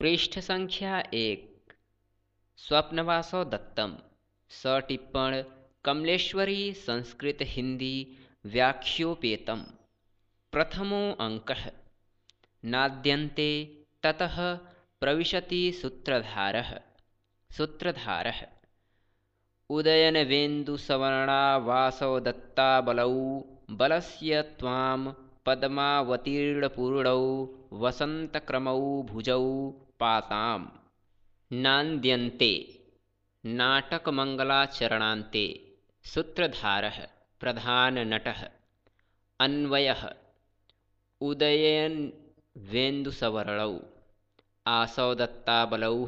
पृष्ठ संख्या 1। स्वप्नवासव दत्तम। सटिप्पण कमलेश्वरी संस्कृत हिंदी व्याख्योपेतम। प्रथमो अंकः। नाद्यन्ते ततः प्रविशति सूत्रधारः। सूत्रधारः उदयनवेन्दुसवर्णा वासव दत्ताबलौ बलस्य त्वां पद्मावतीर्णपूर्णौ वसन्तक्रमौ भुजौ पाताम्। नान्द्यन्ते नाटकमङ्गलाचरणान्ते। सूत्रधारः प्रधाननटः। अन्वयः उदयनवेन्दुसवर्णौ आसौ दत्ताबलौ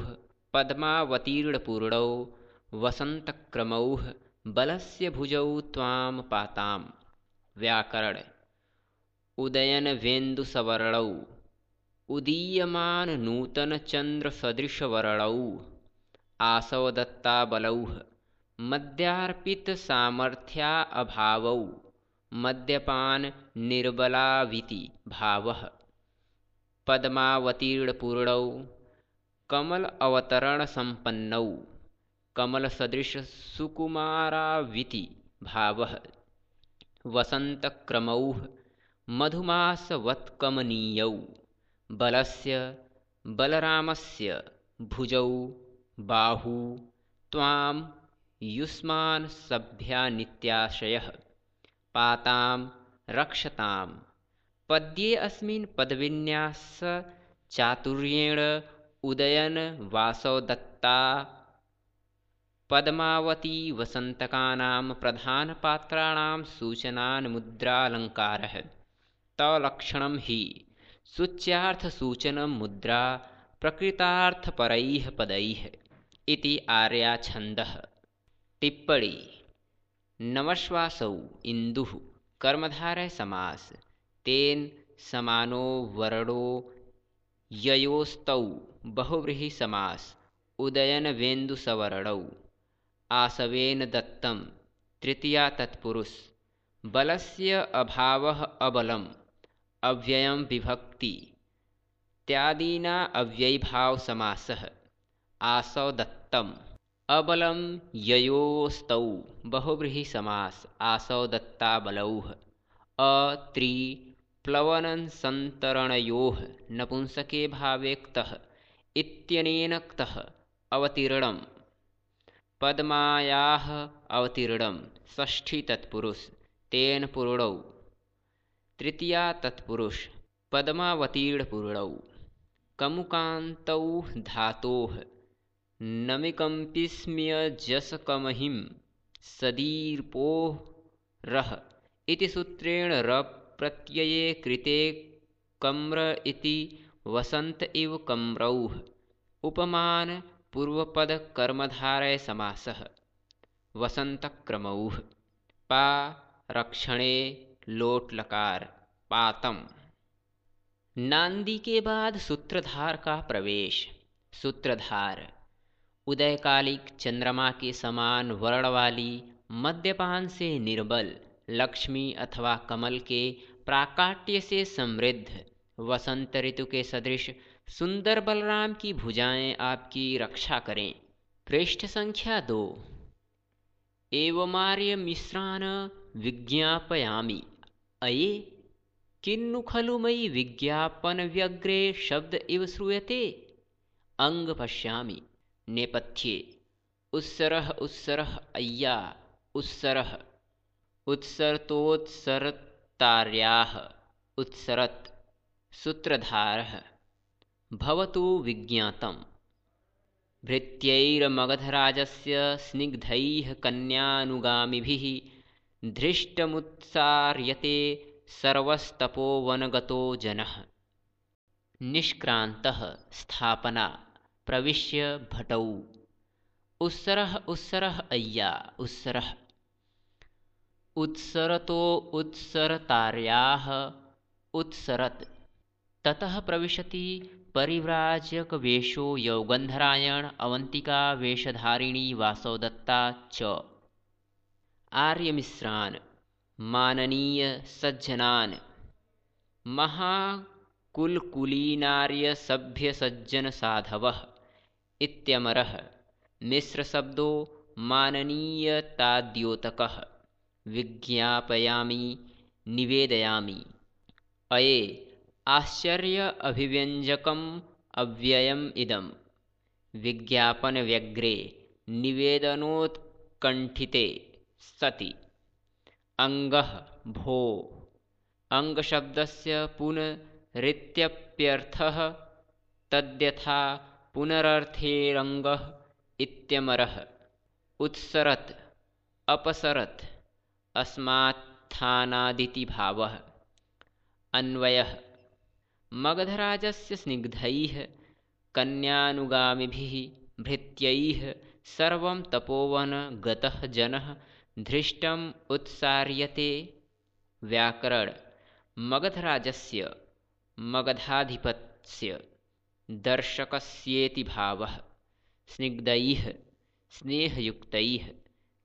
पद्मावतीर्णपूर्णौ वसन्तक्रमौ बलस्य भुजौ त्वां पाताम्। व्याकरण उदयनवेन्दुसवर्णौ उदीयमाननूतनचन्द्रसदृशवर्णौ आसौ दत्ताबलौ मद्यार्पितसामर्थ्याऽभावौ मद्यपाननिर्बलाविति भावः। पद्मावतीर्णपूर्णौ कमल अवतरणसम्पन्नौ कमलसदृशसुकुमाराविति भावः। वसन्तक्रमौ मधुमासवत्कमनीयौ बलस्य बलरामस्य भुजौ बाहू त्वां युष्मान् सभ्यानित्याश्रयः पातां रक्षतां। पद्ये अस्मिन् पदविन्यासचातुर्येण उदयनवासव दत्ता पद्मावती वसन्तकानां प्रधानपात्राणां सूचनान्मुद्रालङ्कारः। तलक्षणं हि सूच्यार्थसूचनं मुद्रा प्रकृतार्थपरैः पदैः इति आर्याछन्दः। टिप्पणी नमश्वासौ इन्दुः कर्मधारय समास। तेन समानो वर्णो ययोस्तौ बहुव्रीहि समास। उदयनवेन्दुसवर्णौ आसवेन दत्तं तृतीया तत्पुरुष। बलस्य अभावः अबलम् अव्ययं विभक्ति इत्यादीना अव्ययीभाव समासः। आसौ दत्तम् अबलं ययोस्तौ बहुव्रीहि समास। आसौ दत्ताबलौ अत्रिप्लवनसन्तरणयोः नपुंसके भावे क्तः इत्यनेन क्तः अवतीर्णम्। पद्मायाः अवतीर्णं षष्ठी तत्पुरुष। तेन पूर्णौ तृतीया तत्पुरुष। पद्मावतीर्णपूर्णौ कमुकान्तौ धातोः नमिकम्पिस्म्यजसकमहिं सदीर्पोः रः इति सूत्रेण रप्रत्यये कृते कम्र इति वसन्त इव कम्रौः उपमान पूर्वपदकर्मधारय समासः। वसन्तक्रमौः पा रक्षणे लोट लकार पातम। नांदी के बाद सूत्रधार का प्रवेश। सूत्रधार उदयकालिक चंद्रमा के समान वर्ण वाली मद्यपान से निर्बल लक्ष्मी अथवा कमल के प्राकाट्य से समृद्ध वसंत ऋतु के सदृश सुंदर बलराम की भुजाएं आपकी रक्षा करें। पृष्ठ संख्या 2। एवमार्य मिश्रान विज्ञापयामि अये किन्नु खलु मयि विज्ञापन व्यग्रे शब्द इव श्रूयते। अंग पश्यामि। नेपथ्ये उत्सरः उत्सरः अय्या उत्सरः उत्सरतोत्सरतार्याः उत्सरत्। सूत्रधारः भवतु विज्ञातम्। भृत्यैर्मगधराजस्य स्निग्धैः कन्यानुगामिभिः धृष्टमुत्सार्यते सर्वस्तपोवनगतो जनः। निष्क्रान्तः स्थापना प्रविश्य भटौ। उत्सरः उत्सरः अय्या उत्सरः उत्सरतो उत्सरतार्याः उत्सरत्। ततः प्रविशति परिव्राजकवेषो यौगन्धरायण अवन्तिका वेशधारिणी वासव दत्ता च। आर्यमिश्रान् माननीय सज्जनान् कुलकुलीनार्यसभ्यसज्जनसाधवः इत्यमरः मिश्रशब्दो माननीयताद्योतकः विज्ञापयामि निवेदयामि। अये आश्चर्य अभिव्यञ्जकम् अव्ययम् इदं विज्ञापनव्यग्रे निवेदनोत्कण्ठिते सति। अङ्गः भो अङ्गशब्दस्य पुनरित्यप्यर्थः तद्यथा पुनरर्थेरङ्गः इत्यमरः उत्सरत् अपसरत् अस्मात्थानादिति भावः। अन्वयः मगधराजस्य स्निग्धैः कन्यानुगामिभिः भृत्यैः सर्वं तपोवन गतः जनः धृष्टम् उत्सार्यते। व्याकरण मगधराजस्य मगधाधिपस्य दर्शकस्येति भावः। स्निग्धैः स्नेहयुक्तैः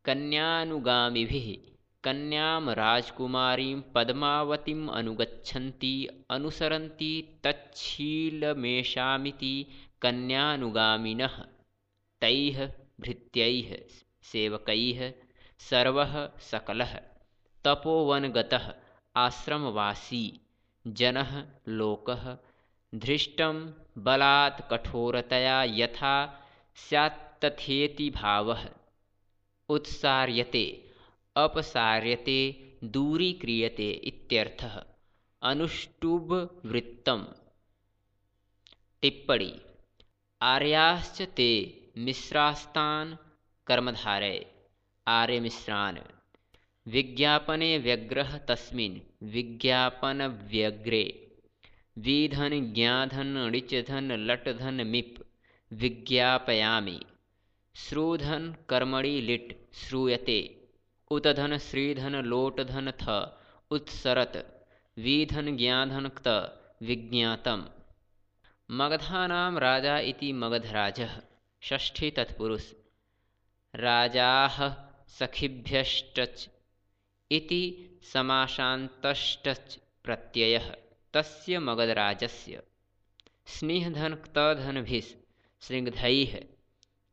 कन्यानुगामिभिः कन्यां राजकुमारीं पद्मावतीम् अनुगच्छन्ति अनुसरन्ति तच्छीलमेषामिति कन्यानुगामिनः तैः भृत्यैः सेवकैः सर्वः सकलः तपोवनगतः आश्रमवासी जनः लोकः धृष्टं बलात् कठोरतया यथा स्यात्तथेति भावः। उत्सार्यते अपसार्यते दूरीक्रियते इत्यर्थः। अनुष्टुप् टिप्पणी आर्याश्च ते मिश्रास्तान् कर्मधारय आर्यमिश्रान् विज्ञापने व्यग्रः तस्मिन् विज्ञापनव्यग्रे विधन ज्ञाधन णिचधन लटधन मिप् विज्ञापयामि श्रूधन कर्मणि लिट् श्रूयते उतधन श्रीधन लोटधन थ उत्सरत विधन ज्ञाधन क्त विज्ञातम्। मगधानां राजा इति मगधराजः। षष्ठी तत्पुरुष राजाः सखिभ्यश्च इति समासान्तश्च प्रत्ययः तस्य मगधराजस्य। स्निह्धन क्तधनभिः स्निग्धैः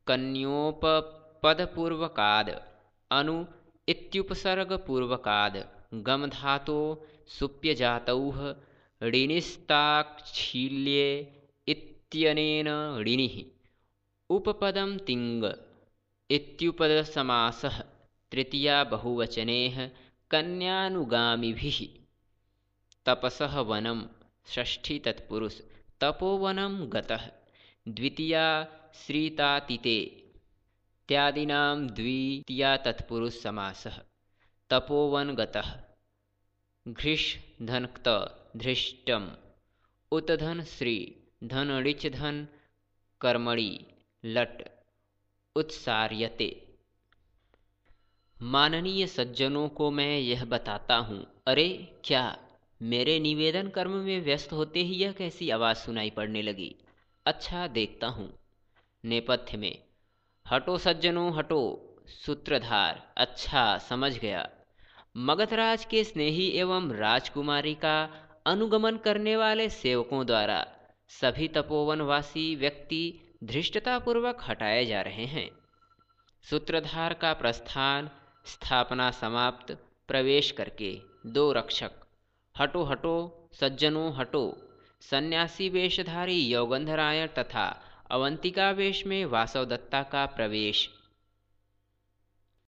कन्योपपदपूर्वकाद् अनु इत्युपसर्गपूर्वकाद् गमधातो सुप्यजातौः ऋणिस्ताच्छील्ये इत्यनेन ऋणिः उपपदं तिङ् इत्युपदसमासः तृतीया बहुवचनेः कन्यानुगामिभिः। तपसः वनं। षष्ठी तत्पुरुष तपोवनं गतः। द्वितीया श्रीतातिते इत्यादीनां द्वितीया तत्पुरुष समासः। तपोवन गतः। घृष धन क्त धृष्टम् उतधन श्री धन ऋच धन कर्मणि लट उत्सार्यते। माननीय सज्जनों को मैं यह बताता हूँ। अरे क्या मेरे निवेदन कर्म में व्यस्त होते ही यह कैसी आवाज़ सुनाई पड़ने लगी। अच्छा देखता हूँ। नेपथ्य में हटो सज्जनों हटो। सूत्रधार अच्छा समझ गया। मगधराज के स्नेही एवं राजकुमारी का अनुगमन करने वाले सेवकों द्वारा सभी तपोवनवासी व्यक्ति धृष्टतापूर्वक हटाए जा रहे हैं। सूत्रधार का प्रस्थान स्थापना समाप्त प्रवेश करके दो रक्षक हटो हटो सज्जनों हटो सन्यासी वेशधारी यौगंधरायण तथा अवंतिका वेश में वासवदत्ता का प्रवेश।